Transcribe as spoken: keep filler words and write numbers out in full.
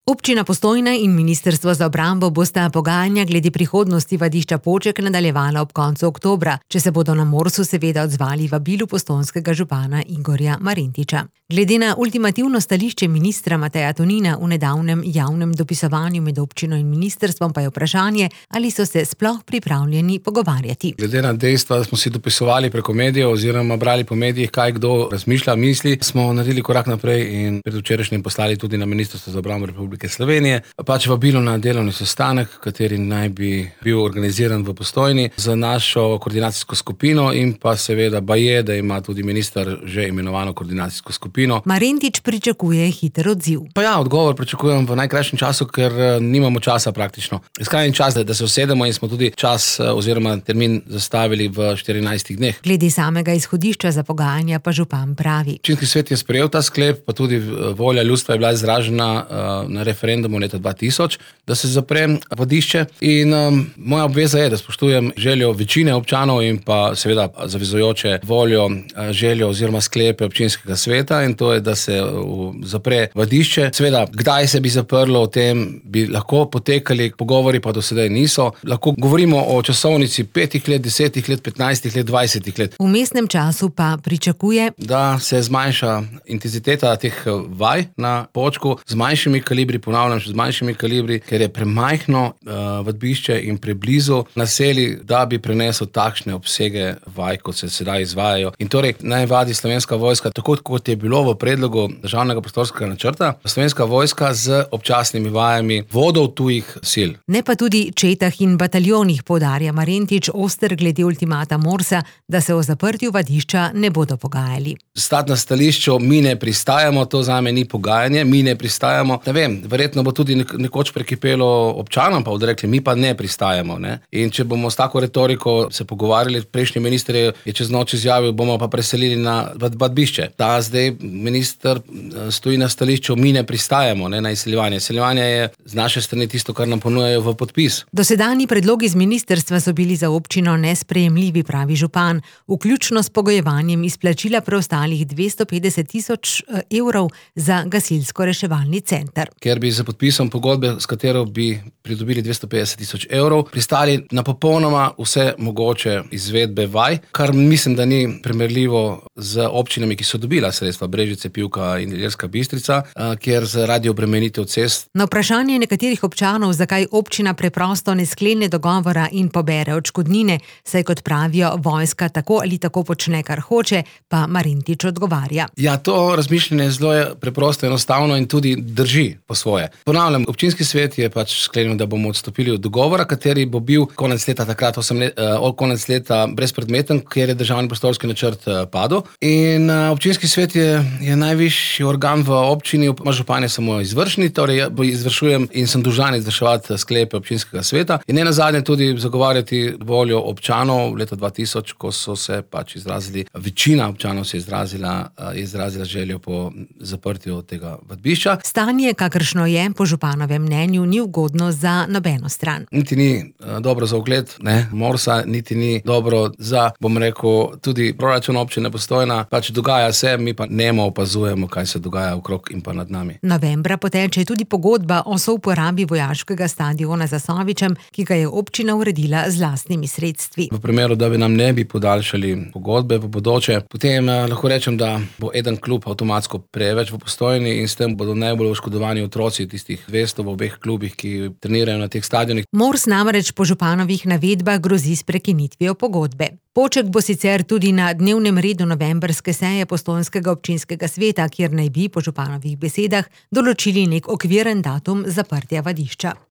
Občina Postojna in Ministrstvo za obrambo bosta pogajanja glede prihodnosti vadišča Poček nadaljevala ob koncu oktobra, če se bodo na Morsu seveda odzvali vabilu postojnskega župana Igorja Marentiča. Glede na ultimativno stališče ministra Mateja Tonina v nedavnem javnem dopisovanju med občino in ministrstvom pa je vprašanje, ali so se sploh pripravljeni pogovarjati. Glede na dejstva, da smo si dopisovali preko medijev oziroma brali po medijih, kaj kdo razmišlja, misli, smo naredili korak naprej in predvčerajšnjim poslali tudi na Ministrstvo za obrambo Republike Slovenije, pač vabilo na delovni sestanek, kateri naj bi bil organiziran v Postojni za našo koordinacijsko skupino in pa seveda baje, da ima tudi minister že imenovano koordinacijsko skupino. Marentič pričakuje hiter odziv. Pa ja, odgovor pričakujem v najkrajšem času, ker nimamo časa praktično. Skrajni čas, da se usedemo in smo tudi čas oziroma termin zastavili v štirinajstih dneh. Glede samega izhodišča za pogajanja pa župan pravi. Občinski svet je sprejel ta sklep, pa tudi volja ljudstva je bila izražena na referendumu leta dva tisoč, da se zapre vadišče in um, moja obveza je, da spoštujem željo večine občanov in pa seveda zavezujoče voljo, željo oziroma sklepe občinskega sveta in to je, da se uh, zapre vadišče. Seveda, kdaj se bi zaprlo, o tem bi lahko potekali pogovori, pa do sedaj niso. Lahko govorimo o časovnici petih let, desetih let, petnajstih let, dvajsetih let. V mestnem času pa pričakuje, da se zmanjša intenziteta teh vaj na Počku z manjšimi kalibri, ponavljam še z manjšimi kalibri, ker je premajhno uh, vadbišče in preblizu naselij, da bi prenesel takšne obsege vaj, kot se sedaj izvajajo. In torej naj vadi Slovenska vojska, tako kot je bilo v predlogu državnega prostorskega načrta, Slovenska vojska z občasnimi vajami vodov tujih sil. Ne pa tudi četah in bataljonih, poudarja Marentič oster glede ultimata Morsa, da se o zaprtju vadišča ne bodo pogajali. Stati na stališču, mi ne pristajamo, to zame ni pogajanje, mi ne pristajamo. Ne vem, verjetno bo tudi nekoč prekipelo občanom, pa bodo rekli, mi pa ne pristajamo. Ne? In če bomo s tako retoriko se pogovarjali, prejšnji minister je čez noč izjavil, bomo pa preselili na vadbišče. Ta zdaj minister stoji na stališču, mi ne pristajamo, ne, na izseljevanje. Izseljevanje je z naše strani tisto, kar nam ponujajo v podpis. Dosedanji predlogi z ministrstva so bili za občino nesprejemljivi, pravi župan, vključno s pogojevanjem izplačila preostalih dvesto petdeset tisoč evrov za gasilsko-reševalni center. Ker bi za podpisom pogodbe, s katero bi pridobili dvesto petdeset tisoč evrov, pristali na popolnoma vse mogoče izvedbe vaj, kar mislim, da ni primerljivo z občinami, ki so dobila sredstva, Brežice, Pivka in Ilirska Bistrica, kjer zaradi obremenitev cest. Na vprašanje nekaterih občanov, zakaj občina preprosto ne sklene dogovora in pobere odškodnine, saj kot pravijo, vojska tako ali tako počne, kar hoče, pa Marentič odgovarja. Ja, to razmišljanje je zelo preprosto, enostavno in tudi drži po svoje. Ponavljam, občinski svet je pač sklenil, da bomo odstopili od dogovora, kateri bo bil konec leta takrat osem let, uh, konec leta brezpredmeten, ker je državni prostorski načrt uh, padel. In uh, občinski svet je, je najvišji organ v občini, župan je samo izvršni, torej izvršujem in sem dolžan izvrševati sklepe občinskega sveta in ne nazadnje tudi zagovarjati voljo občanov leta dva tisoč, ko so se pač izrazili, večina občanov se je izrazila, uh, izrazila željo po zaprtju tega vadbišča. Stanje, kakršno je, po županovem mnenju, ni ugodno za nobeno stran. Niti ni uh, dobro za ugled, ne, Morsa, niti ni dobro za, bom rekel, tudi proračun občine Postojna. Pač dogaja se, mi pa nemo opazujemo, kaj se dogaja okrog in pa nad nami. Novembra poteče tudi pogodba o souporabi vojaškega stadiona za Sovičem, ki ga je občina uredila z lastnimi sredstvi. V primeru, da bi nam ne bi podaljšali pogodbe v bodoče, potem uh, lahko rečem, da bo eden klub avtomatsko preveč v Postojni in s tem bodo najbolj oškodovani otroci tistih dvesto v obeh klubih, ki trenirajo na teh stadionih. Mors namreč po županovih navedbah grozi s prekinitvijo pogodbe. Poček bo sicer tudi na dnevnem redu novembrske seje postojnskega občinskega sveta, kjer naj bi po županovih besedah določili nek okviren datum zaprtja vadišča.